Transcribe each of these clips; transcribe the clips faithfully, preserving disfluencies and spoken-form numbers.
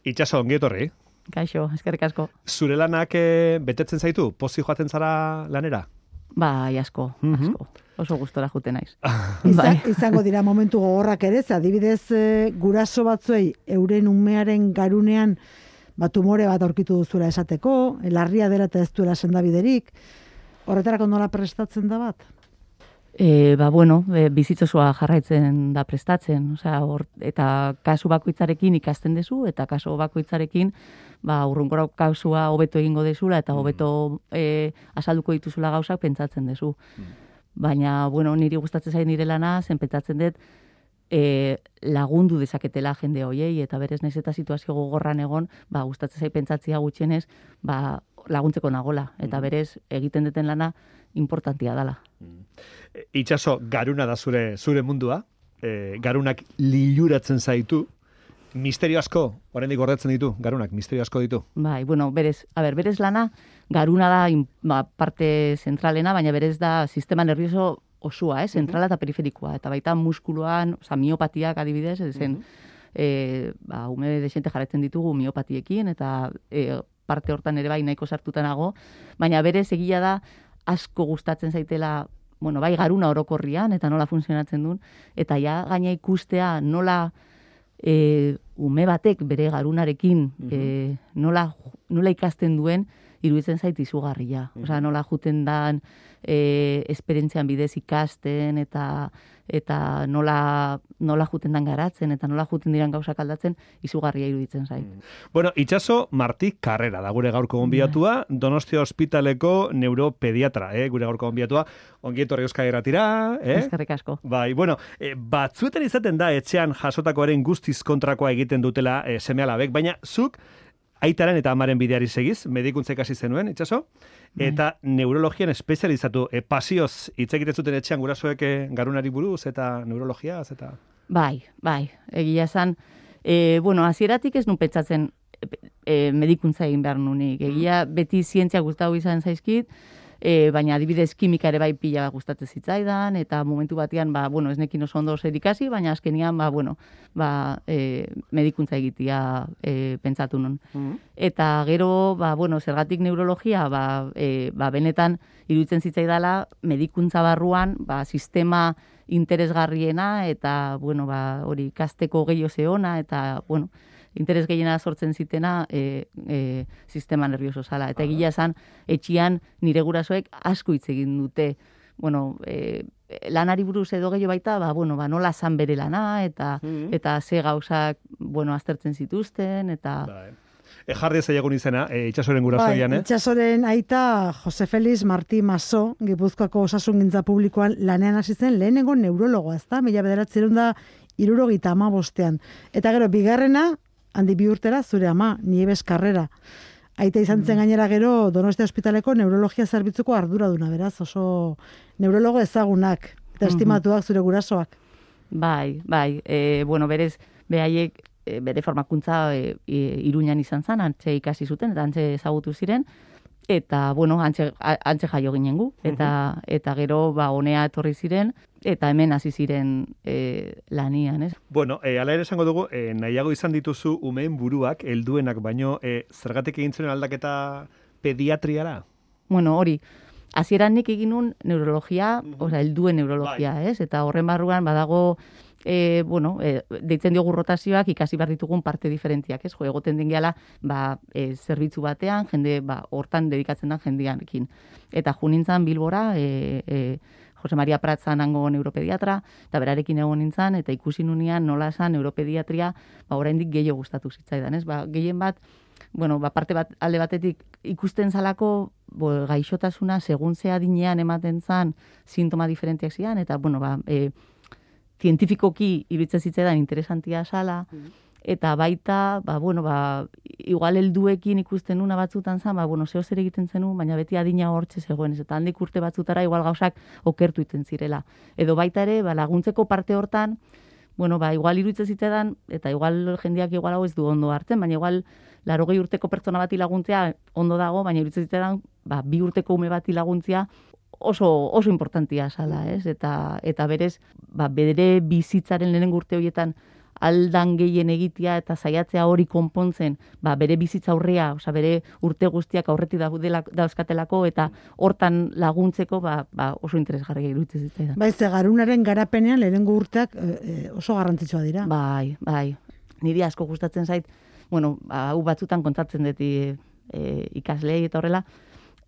Itxaso, ongi etorri. Kaixo, eskerrik asko. Zure lanak e, betetzen zaitu? Pozi joaten zara lanera? Bai, asko, Mhm. asko. Oso gustora juten naiz. Iza, Bai. izango dira momentu gogorrak ere, ze adibidez e, guraso batzuei euren umearen garunean ba, tumore bat aurkitu duzula esateko, larria dela eta ez duela sendabiderik. Horretarako nola prestatzen da bat? E, ba, bueno, e, bizitzosua jarraitzen da prestatzen, osea, hor, eta kasu bakoitzarekin ikasten dezu, eta kasu bakoitzarekin ba, urrunkora kasua hobeto egingo dezula, eta hobeto e, azalduko dituzula gauzak pentsatzen dezu. Baina, bueno, niri gustatzen zain nire lana, zen pentsatzen dut, e, lagundu dezaketela jende hoiei, eta berez naiz eta situazio gogorran egon, ba, gustatzen zain pentsatzea gutxienez, ba, laguntzeko nagola, eta berez egiten duten lana importantia dala. Itxaso, garuna da zure zure mundua, e, garunak liluratzen zaitu, misterio asko, oraindik gordetzen ditu, garunak, misterio asko ditu. Bai, bueno, berez, a ber, berez lana, garuna da in, ba, parte zentralena, baina berez da sistema nervioso osua, eh, zentrala eta periferikoa, eta baita muskuluan, oza, miopatiak adibidez, ezen, e, ba, ume desente jarretzen ditugu miopatiekin, eta e, parte hortan ere bai nahiko sartuta nago, baina berez egia da asko gustatzen zaitela, bueno, bai garuna orokorrian, eta nola funtzionatzen duen, eta ja gaina ikustea nola e, ume batek bere garunarekin e, nola, nola ikasten duen, iruditzen zait izugarria. Osea, nola juten dan e, esperientzian bidez ikasten, eta eta nola, nola juten dan garatzen, eta nola juten diran gauzak aldatzen, izugarria iruditzen zait. Bueno, Itxaso Martí Carrera da gure gaurko gonbidatua, Donostia Ospitaleko neuropediatra, eh, gure gaurko gonbidatua. Ongi etorri Euskal Irratira, eh? Eskerrik asko. Bai, bueno, e, batzuetan izaten da etxean jasotakoaren guztiz kontrakoa egiten dutela e, seme-alabek, baina zuk aitaren eta amaren bideari segiz, medikuntza ikasi zenuen, Itxaso, eta neurologian espezializatu, e, pasioz hitz egiten zuten etxean gurasoek e, garunari buruz eta neurologiaz eta... Bai, bai, egia esan, e, bueno, hasieratik ez nun pentsatzen e, medikuntza egin behar nunik. Egia beti zientzia gustatu izan zaizkit, e, baina adibidez kimika ere bai pila gustatzen zitzaidan, eta momentu batean, ba, bueno, ez nekin oso ondo zer ikasi, baina azkenian, ba, bueno, ba, e, medikuntza egitea e, pentsatu nun. Eta gero, ba, bueno, zergatik neurologia, ba, e, ba, benetan iruditzen zitzaidala medikuntza barruan, ba, sistema interesgarriena, eta, bueno, ba, hori ikasteko gehiago zeona, eta, bueno, interes gehiena sortzen zitena e, e, sistema nervioso zala. Eta egia esan, etxian nire gurasoek asko hitz egin dute, bueno, e, lanari buruz edo gehiago baita, ba, bueno, ba, nola zan bere lana, eta, eta ze gauzak, bueno, aztertzen zituzten, eta... Bai. E, jarri ezagun izena, e, Itxasoren gurasoian, Bai, eh? Itxasoren aita Jose Felix Martí Maso, Gipuzkoako osasungintza publikoan lanean hasi zen lehenengo neurologoa, ezta? Mila bederatzerun da hirurogeita hamabostean. Eta gero, bigarrena, handi bi urtera, zure ama, Nieves Carrera. Aita izan zen gainera gero Donostia Ospitaleko neurologia zerbitzuko arduraduna, beraz, oso neurologo ezagunak, eta estimatuak zure gurasoak. Bai, bai, e, bueno, berez, behaiek e, bere formakuntza e, e, Iruñan izan zen, antxe ikasi zuten, eta antxe ezagutu ziren, eta, bueno, antxe, antxe jaio ginen gu, eta, eta gero, ba, honea etorri ziren, eta hemen hasi ziren e, lanian, ez? Bueno, e, ala ere esango dugu, e, nahiago izan dituzu umeen buruak, helduenak, baino, e, zergatik egin zuen aldaketa pediatriara? Bueno, hori, hasieran nik egin nun neurologia, osea, helduen neurologia, Bai. ez? Eta horren barruan badago, e, bueno, e, deitzen diogu rotazioak ikasi behar ditugun parte diferentiak, ez? Jo, egoten den gehala, ba, e, zerbitzu batean, jende, ba, hortan dedikatzen da jendeanekin. Eta junintzan Bilbora, e, e, Jose Maria Pratzan hango neuropediatra, eta berarekin egon nintzen, eta ikusi nunean nola esan neuropediatria, ba, oraindik gehiago gustatu zitzaidan, ez? Ba, gehien bat, bueno, ba, parte bat, alde batetik ikusten zalako, bo, gaixotasuna, segun ze adinean ematen zan, sintoma diferentiak zian, eta, bueno, ba, e, zientifikoki iruditzen zitzaidan interesantia zala, eta baita, ba, bueno, ba, igual helduekin ikusten nuna batzutan zan, ba, bueno, zeo zer egiten zenu, baina beti adina hortxe zegoen, ez, eta handik urte batzutara igual gauzak okertu iten zirela. Edo baita ere, ba, laguntzeko parte hortan, bueno, ba, igual iruditzen zitzaidan, eta igual jendeak igual hau ez du ondo hartzen, baina igual larogei urteko pertsona bati laguntzea ondo dago, baina iruditzen zitzaidan, ba, bi urteko ume bati laguntzea oso, oso importantia zala, ez? Eta, eta berez, ba, bere bizitzaren lehenengo urte horietan aldan gehien egitea eta saiatzea hori konpontzen, ba, bere bizitza aurrea, osea bere urte guztiak aurretik daudela dauzkatelako eta hortan laguntzeko ba, ba oso interesgarria iruditzen zitzaidan. Bai, ze garunaren garapenean lehenengo urteak e, oso garrantzitsua dira. Bai, bai. Niri asko gustatzen zait, bueno, hau batzutan kontatzen dut e, ikaslei eta horrela,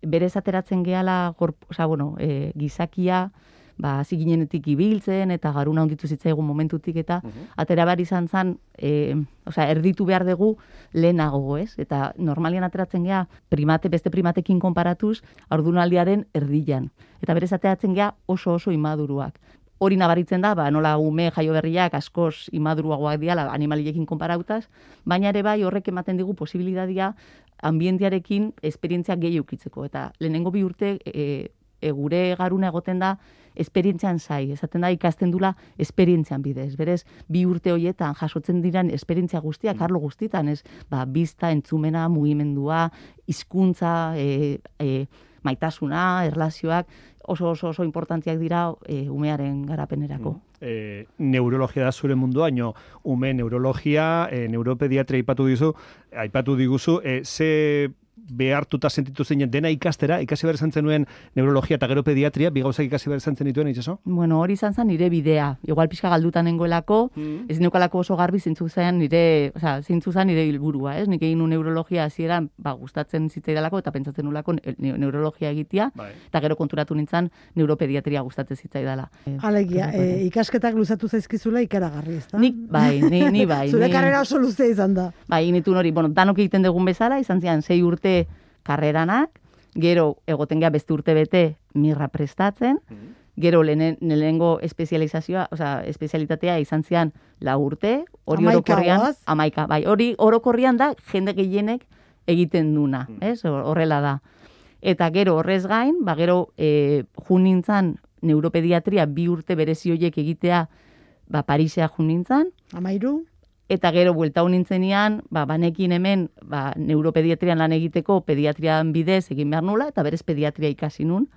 berez ateratzen gehala, osea, bueno, e, gizakia, ba, hasi ginenetik ibiltzen eta garuna honditu zitzaigun momentutik eta uh -huh. atera behar izan zen, e, osea, erditu behar dugu lehenago, ez? Eta normalian ateratzen gea primate, beste primatekin konparatuz, haurdunaldiaren erdian. Eta berez ateratzen gea oso oso imaduruak. Hori nabaritzen da, ba, nola ume jaio berriak askoz imaduruagoak diala animaliekin konparautaz, baina ere bai horrek ematen digu posibilidadia ambientearekin esperientzia gehi eukitzeko. Eta lehenengo bi urte e, e, gure garuna egoten da esperientzian zai, esaten da ikasten dula esperientzian bidez. Berez, bi urte horietan jasotzen diran esperientzia guztiak, arlo guztitan, ez, ba, bizta, entzumena, mugimendua, hizkuntza, e, e, maitasuna, erlazioak, oso oso oso importantziak dira e, umearen garapenerako. E, neurologia da zure mundua, baino ume neurologia, e, neuropediatria aipatu dizu, aipatu diguzu, e, ze behartuta sentitu zeinen dena ikastera, ikasi behar izan zenuen neurologia eta gero pediatria, bi gauzak ikasi behar izan zenituen, itxaso? Bueno, hori izan zen nire bidea. Igual pixka galdutan nengoelako, mm. ez neukalako oso garbi zeintzu zen nire, osea, zeintzu zen nire helburua, ez? Nik egin nu neurologia hasieran, ba, gustatzen zitzaidalako eta pentsatzen nulako ne neurologia egitea, bai. Eta gero konturatu nintzen neuropediatria gustatzen zitzaidala. Alegia, e, ikasketak luzatu zaizkizula ikaragarri, ezta? Nik bai, ni, ni bai. Zure ni, karrera oso luzea izan da. Bai, nituen hori, bueno, danok egiten dugun bezala, izan zian sei urte karreranak, gero egoten gea beste urte bete mirra prestatzen, gero lehenengo espezializazioa, osea, espezialitatea izan zian lau urte, hori orokorrian, amaika, bai, hori orokorrian da jende gehienek egiten duna, ez? Horrela da. Eta gero horrez gain, ba gero e, jun nintzan neuropediatria bi urte berezi horiek egitea, ba Parisea jun nintzan. Amairu. Eta gero buelta nintzenian, ba, banekin hemen ba, neuropediatrian lan egiteko pediatrian bidez egin behar nula, eta berez pediatria ikasi nun,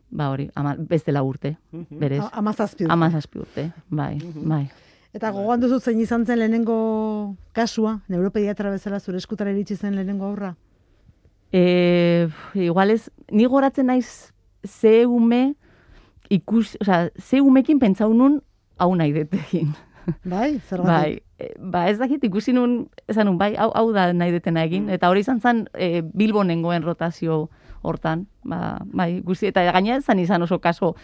ba hori, ama, beste lau urte, berez. Amazazpi urte. Amazazpi urte, bai, bai. Eta gogoan duzu zein izan zen lehenengo kasua, neuropediatra bezala zure eskutara iritsi zen lehenengo aurra? E, igual ez, ni goratzen naiz ze ume ikus, oza, ze umekin pentsau nun hau nahi detegin. Bai, zergatik? Bai, ba ez dakit ikusi nun, esan nun, bai, hau, hau da nahi detena egin, eta hori izan zen e, Bilbon nengoen rotazio hortan, ba, bai, guzti, eta gaina izan izan oso kaso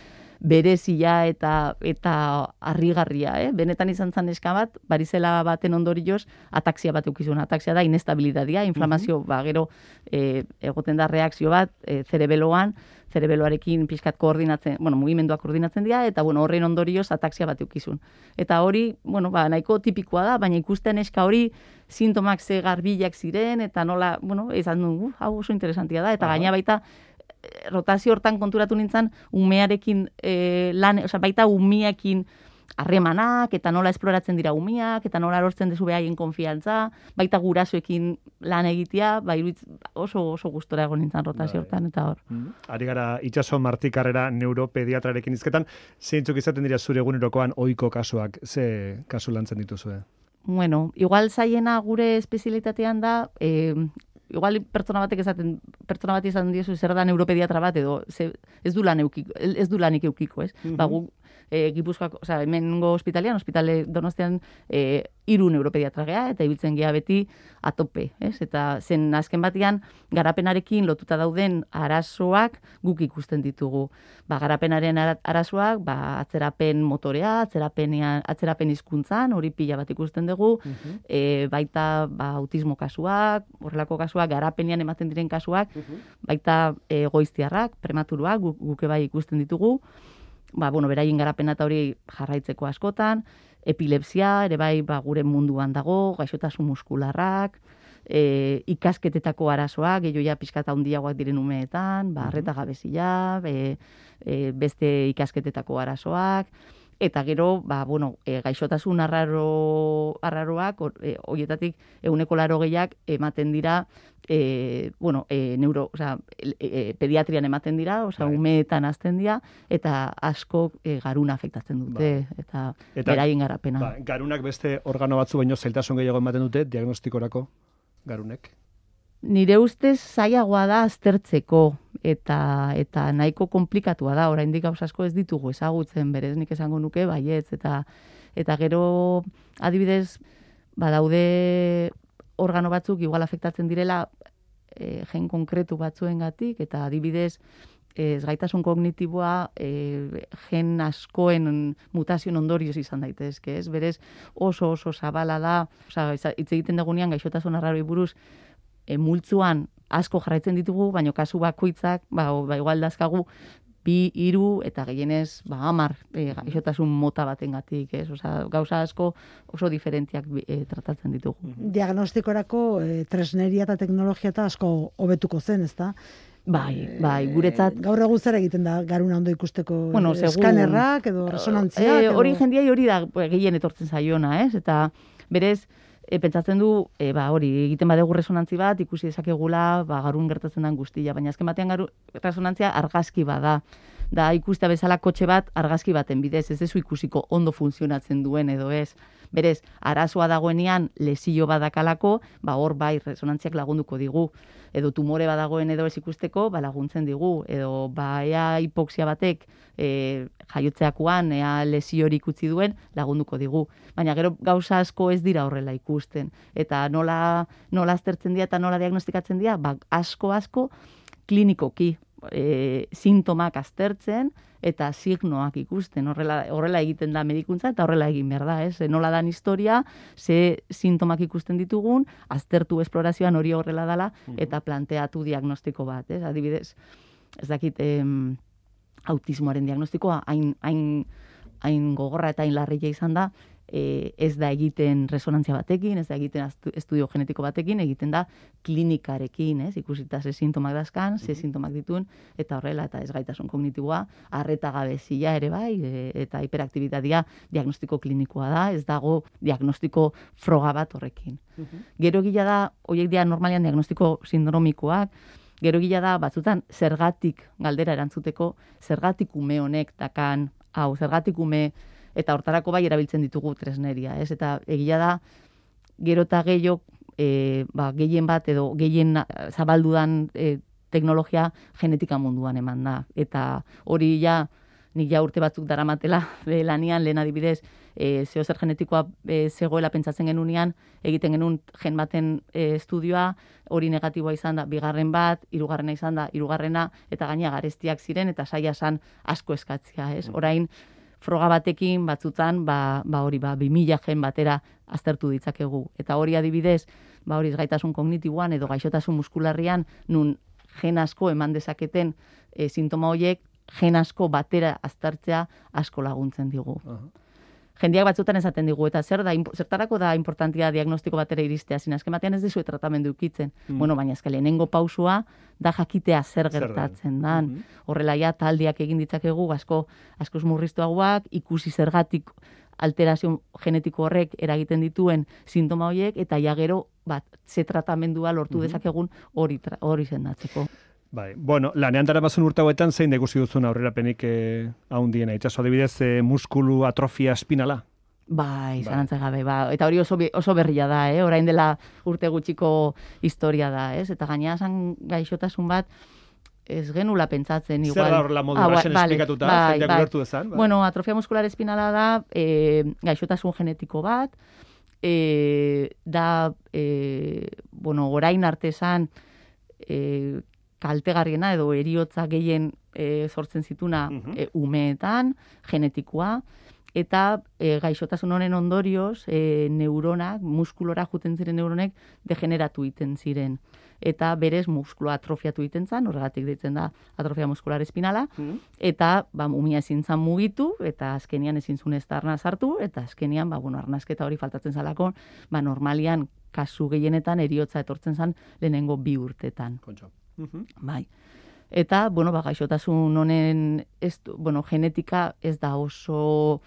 berezia eta eta harrigarria, eh? Benetan izan zen eska bat, barizela baten ondorioz, ataksia bat eukizun, ataksia da inestabilidadia, inflamazio, uh -huh. ba, gero e, egoten da reakzio bat, e, zerebeloan, zerebeloarekin pixkat koordinatzen, bueno, mugimenduak koordinatzen dira, eta bueno, horren ondorioz ataksia bat eukizun. Eta hori, bueno, ba, nahiko tipikoa da, baina ikusten eska hori sintomak ze garbilak ziren, eta nola, bueno, izan du, uh, hau oso interesantia da, eta uh -huh. gaina baita, rotazio hortan konturatu nintzen, umearekin e, lan, osea, baita umeekin harremanak, eta nola esploratzen dira umeak, eta nola lortzen dezu behaien konfiantza, baita gurasoekin lan egitea, ba, iruitz, oso, oso gustora egon nintzen rotazio hortan, eta hor. Mm. Ari gara, Itxaso Marti Karrera neuropediatrarekin izketan, zeintzuk izaten dira zure egunerokoan ohiko kasuak, ze kasu lantzen dituzue? Bueno, igual zaiena gure espezialitatean da, eh, igual pertsona batek esaten, pertsona bat izan diozu zer da neuropediatra bat edo ze, ez du lan eukiko, ez du lanik eukiko, ez? Mm -hmm. Ba, gu, e, Gipuzkoako, o sea, hemengo ospitalean, ospitale Donostian e, hiru neuropediatra gea eta ibiltzen gea beti atope, ez? Eta zen azken batean garapenarekin lotuta dauden arazoak guk ikusten ditugu. Ba, garapenaren arazoak, ba, atzerapen motorea, atzerapenean, atzerapen hizkuntzan, hori pila bat ikusten dugu, mm -hmm. e, baita ba, autismo kasuak, horrelako kasuak, garapenean ematen diren kasuak, uh -huh. baita e, goiztiarrak, prematuruak, guk, guke bai ikusten ditugu, ba, bueno, beraien garapena eta hori jarraitzeko askotan, epilepsia, ere bai, ba, gure munduan dago, gaixotasun muskularrak, e, ikasketetako arazoak, gehiago ja pixkata handiagoak diren umeetan, ba, arreta gabezia, e, e, beste ikasketetako arazoak, eta gero, ba, bueno, e, gaixotasun arraro, arraroak, horietatik euneko laro gehiak ematen dira, e, bueno, e, neuro, oza, e, e, pediatrian ematen dira, oza, bai. umeetan azten dira, eta asko e, garuna afektatzen dute, bai. eta, eta beraien garapena. Ba, garunak beste organo batzu baino zailtasun gehiago ematen dute diagnostikorako garunek. Nire ustez zailagoa da aztertzeko eta eta nahiko konplikatua da. Oraindik gauza asko ez ditugu ezagutzen, berez nik esango nuke baietz eta eta gero adibidez badaude organo batzuk igual afektatzen direla e, gen konkretu batzuengatik eta adibidez ezgaitasun kognitiboa e, gen askoen mutazioen ondorioz izan daitezke, ez? Berez oso oso zabala da, osea hitz egiten dugunean gaixotasun arraroei buruz E, multzuan asko jarraitzen ditugu, baina kasu bakoitzak, ba, ba igual dazkagu, bi, hiru eta gehienez, ba, hamar e, gaixotasun mota batengatik, ez? Osea, gauza asko oso diferentiak e, tratatzen ditugu. Diagnostikorako e, tresneria eta teknologia eta asko hobetuko zen, ezta? Bai, bai, guretzat. E, gaur egun zer egiten da garuna ondo ikusteko bueno, eskanerrak edo resonantziak? E, hori edo... jendia hori da gehien etortzen zaiona, ez? Eta berez, E, pentsatzen du, e, ba, hori, egiten badegu resonantzi bat, ikusi dezakegula, ba, garun gertatzen den guztia, baina azken batean garu, resonantzia argazki bada. Da, ikustea bezala kotxe bat argazki baten bidez, ez dezu ikusiko ondo funtzionatzen duen edo ez. Berez, arazoa dagoenean lesio badakalako, ba, hor bai resonantziak lagunduko digu. Edo tumore badagoen edo ez ikusteko, ba, laguntzen digu. Edo, ba, ea hipoksia batek e, jaiotzeakoan, ea lesio hori ikutzi duen, lagunduko digu. Baina gero gauza asko ez dira horrela ikusten. Eta nola, nola aztertzen dira eta nola diagnostikatzen dira, ba, asko asko klinikoki. E, sintomak aztertzen eta signoak ikusten. Horrela, horrela egiten da medikuntza eta horrela egin behar da, ez? Nola dan historia, ze sintomak ikusten ditugun, aztertu esplorazioan hori horrela dala eta planteatu diagnostiko bat, ez? Adibidez, ez dakit, em, autismoaren diagnostikoa hain, hain, hain gogorra eta hain larria izan da, E, ez da egiten resonantzia batekin, ez da egiten estudio genetiko batekin, egiten da klinikarekin, ez? Ikusita ze sintomak dazkan, ze sintomak dituen, eta horrela, eta ez gaitasun kognitiboa, arreta gabezia ere bai, e, eta hiperaktibitatea diagnostiko klinikoa da, ez dago diagnostiko froga bat horrekin. Uh-huh. Gero gila da, horiek dira normalian diagnostiko sindromikoak, gero gila da, batzutan, zergatik galdera erantzuteko, zergatik ume honek dakan, hau, zergatik ume eta hortarako bai erabiltzen ditugu tresneria, ez? Eta egia da, gero eta gehiago, e, ba, gehien bat edo gehien zabaldudan e, teknologia genetika munduan eman da. Eta hori ja, nik ja urte batzuk daramatela e, lanian, lehen adibidez, e, zeo zer genetikoa e, zegoela pentsatzen genunean, egiten genuen gen baten e, estudioa, hori negatiboa izan da, bigarren bat, hirugarrena izan da, hirugarrena, eta gaina garestiak ziren, eta saia san asko eskatzia, ez? Orain, froga batekin batzutan, ba, ba hori, ba, bi mila gen batera aztertu ditzakegu. Eta hori adibidez, ba hori gaitasun kognitiboan edo gaixotasun muskularrian, nun gen asko eman dezaketen e, sintoma horiek, gen asko batera aztertzea asko laguntzen digu. Uh-huh. Jendiak batzutan esaten digu, eta zer da, zertarako da importantia diagnostiko batera iristea, zin azken batean ez dizue tratamendu ukitzen. Mm. Bueno, baina ezke lehenengo pausua da jakitea zer gertatzen dan. Mm-hmm. Horrela ja taldiak egin ditzakegu, asko askoz murriztuagoak, ikusi zergatik alterazio genetiko horrek eragiten dituen sintoma horiek, eta ja gero bat, ze tratamendua lortu mm-hmm. dezakegun hori hori sendatzeko. Bai, bueno, lanean daramasun urte hauetan zein da ikusi duzun aurrerapenik eh, haundiena. Itxaso adibidez eh, muskulu atrofia espinala? Bai, zalantza gabe, ba. Eta hori oso, oso berria da, eh? Orain dela urte gutxiko historia da, ez? Eta gaina zan gaixotasun bat, ez genula pentsatzen. Igual. Zer da horrela modu ah, basen esplikatuta, bai, jendeak bai. ulertu dezan? Bai. Bueno, atrofia muskular espinala da eh, gaixotasun genetiko bat, eh, da, eh, bueno, orain artesan, eh, kaltegarriena edo eriotza gehien e, sortzen zituna uh-huh. e, umeetan, genetikoa, eta e, gaixotasun honen ondorioz e, neuronak, muskulora juten ziren neuronek degeneratu iten ziren. Eta berez muskuloa atrofiatu iten zan, horregatik deitzen da atrofia muskular espinala, uh-huh. eta ba, umia ezin zan mugitu, eta azkenian ezin zuen ez da arnaz hartu, eta azkenian, ba, bueno, arnazketa hori faltatzen zalako, ba, normalian kasu gehienetan eriotza etortzen zan lehenengo bi urtetan. Kontxo. Uh-huh. Bai. Eta, bueno, ba, gaixotasun honen, ez, bueno, genetika ez da oso,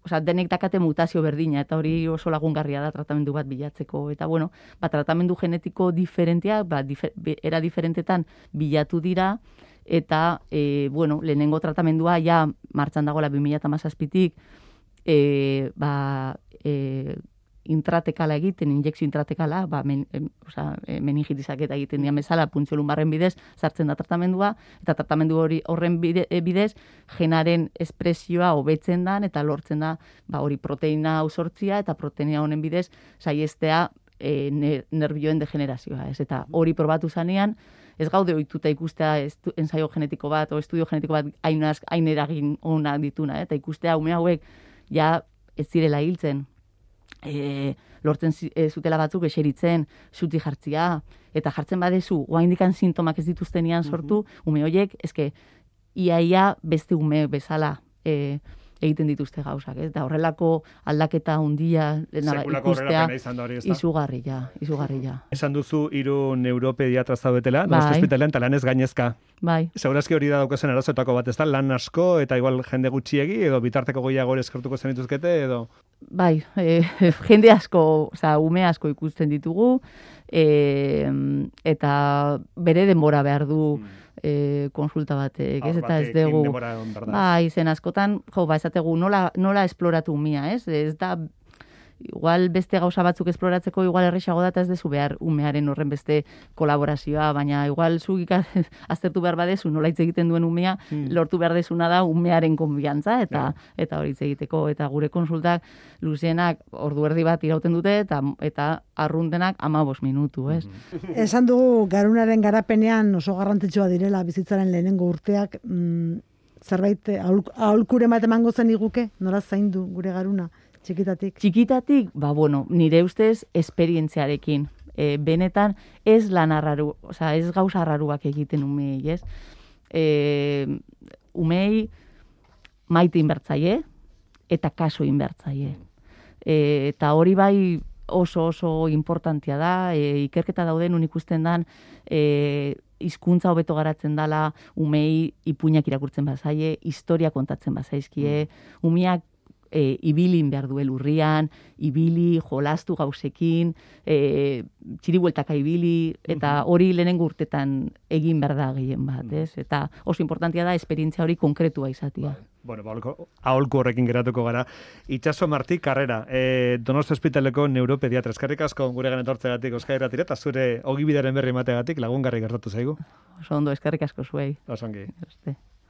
osea, denek dakate mutazio berdina, eta hori oso lagungarria da tratamendu bat bilatzeko. Eta, bueno, ba, tratamendu genetiko diferentia, ba, difer, era diferentetan bilatu dira, eta, e, bueno, lehenengo tratamendua ja martxan dagoela bi mila hamazazpitik, e, ba, e, intratekala egiten, injekzio intratekala, ba, men, em, oza, meningitizak eta egiten dian bezala, puntxo lumbarren bidez, sartzen da tratamendua, eta tratamendu hori horren bide, bidez, genaren espresioa hobetzen dan, eta lortzen da, ba, hori proteina ausortzia, eta proteina honen bidez, saiestea e, nervioen degenerazioa, ez? Eta hori probatu zanean, ez gaude ohituta ikustea estu, ensaio genetiko bat, o estudio genetiko bat hain eragin onak dituna, eta ikustea ume hauek ja ez zirela hiltzen, E, lortzen e, zutela batzuk eseritzen, zuti jartzia, eta jartzen badezu, oaindikan sintomak ez dituztenian sortu, mm-hmm. ume horiek, eske, iaia beste ume bezala e, egiten dituzte gauzak, ez? Da horrelako aldaketa hundia ikustea, izugarria, izugarria. Esan duzu hiru neuropediatra zaudetela, bai. Donosti ospitalean, eta lanez gainezka. Bai. Segurazki hori da daukazen arazoetako bat, ez da? Lan asko, eta igual jende gutxiegi, edo bitarteko goiago eskertuko zen dituzkete, edo... Bai, e, jende asko, oza, ume asko ikusten ditugu, e, eta bere denbora behar du e, konsulta batek, ez? Eta ez dugu... Bai, zen askotan, jo, ba, esategu, nola, nola esploratu umia, ez? Ez da... Igual beste gauza batzuk esploratzeko igual errexago da, eta ez dezu behar umearen horren beste kolaborazioa, baina igual zu aztertu behar badezu nola hitz egiten duen umea, hmm. lortu behar dezuna da umearen konbiantza, eta yeah. eta hori hitz egiteko, eta gure konsultak luzienak ordu erdi bat irauten dute, eta eta arruntenak hamabost minutu, ez? Mm-hmm. Esan dugu garunaren garapenean oso garrantzitsua direla bizitzaren lehenengo urteak, mm, zerbait aholkuren bat emango zen iguke, nola zaindu gure garuna? Txikitatik. Txikitatik, ba, bueno, nire ustez, esperientziarekin. E, benetan, ez lan arraru, oza, ez gauza arraruak egiten umei, ez? E, umei maite inbertzaie, eta kaso inbertzaie. E, eta hori bai oso oso importantia da, e, ikerketa dauden unik ikusten dan, e, hizkuntza hobeto garatzen dala, umei ipuinak irakurtzen bazaie, historia kontatzen bazaizkie, umeak E, ibilin behar duel urrian, ibili, jolastu gauzekin, e, txiribueltaka ibili, eta hori lehenengo urtetan egin behar da gehien bat, ez? Eta oso importantia da esperientzia hori konkretua izatea. Bueno, aholku horrekin geratuko gara. Itxaso Martí Karrera, e, Donosti ospitaleko neuropediatra. Eskerrik asko gure etortzegatik Euskadi Irratira, eta zure ogibidaren berri emateagatik lagungarri gertatu zaigu. Oso ondo, eskerrik asko zuei. Oso ongi.